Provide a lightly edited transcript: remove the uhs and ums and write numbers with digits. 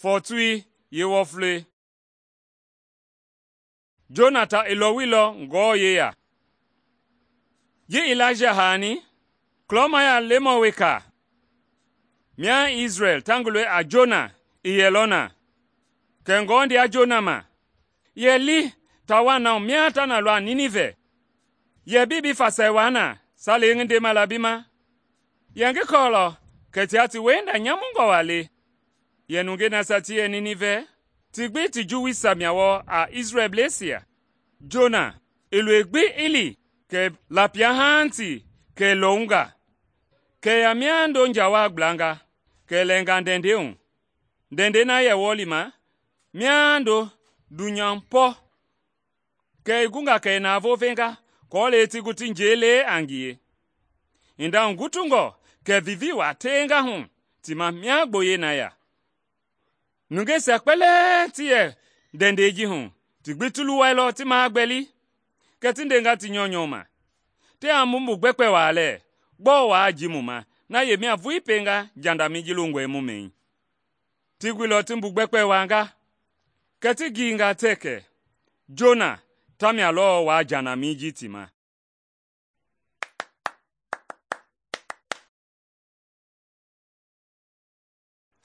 Fɔɔtui yeewɔflei. Jonata i lɔwuilɔ Ngewɔ yeya. Ji Ilaija haani, kulɔmaya lemɔ weka mia Isrɛl ta ngi loi a Jona i yɛlɔ na. Kɛ Ngewɔ ndea Jona ma, yɛ li taa na hu mia ta na lɔ a Ninivɛ. Yɛ bii bi fasai waa na salei ngi ndema la bi ma? Yɛ ngi kɔɔlɔ kɛ tia ti wienda nyamungɔ waa le. Yɛ nungei nasia ti yɛ Ninivɛ, ti gbi ti juwuisia mia wɔɔ a Isrɛlbleisia. Jona i loi gbi i li kɛ lapia haanti kɛ i lɔwunga. Kɛ i ya miando njawaa gblanga, kɛ i lɛnga ndɛndɛi hu. Ndɛndɛi na yɛ wɔlima miando dunyampɔ. Kɛ i gunga kɛ i navoo venga aako ti gu ti njɛi le a ngie. Hinda hugutungɔ kɛ vivii waa teenga hu ti ma mia gboyei na ya. Nungeisia kpɛlɛɛ ti yɛ ndɛndɛi ji hu ti gbi ti luwailɔ ti magbɛli. Kɛ ti ndenga ti nyɔunyɔ ma, “Tiaa mu gbɛkpɛ waa lɛɛ, gbɔɔ waa ji mu ma na yemia vulii pienga jandamɛi ji longɔe mu mɛi?” Ti guilɔ ti gbɛkpɛ waanga, kɛ ti giinga tɛɛ kɛ Jona tamia lɔɔ waa jandamɛi ji ti ma.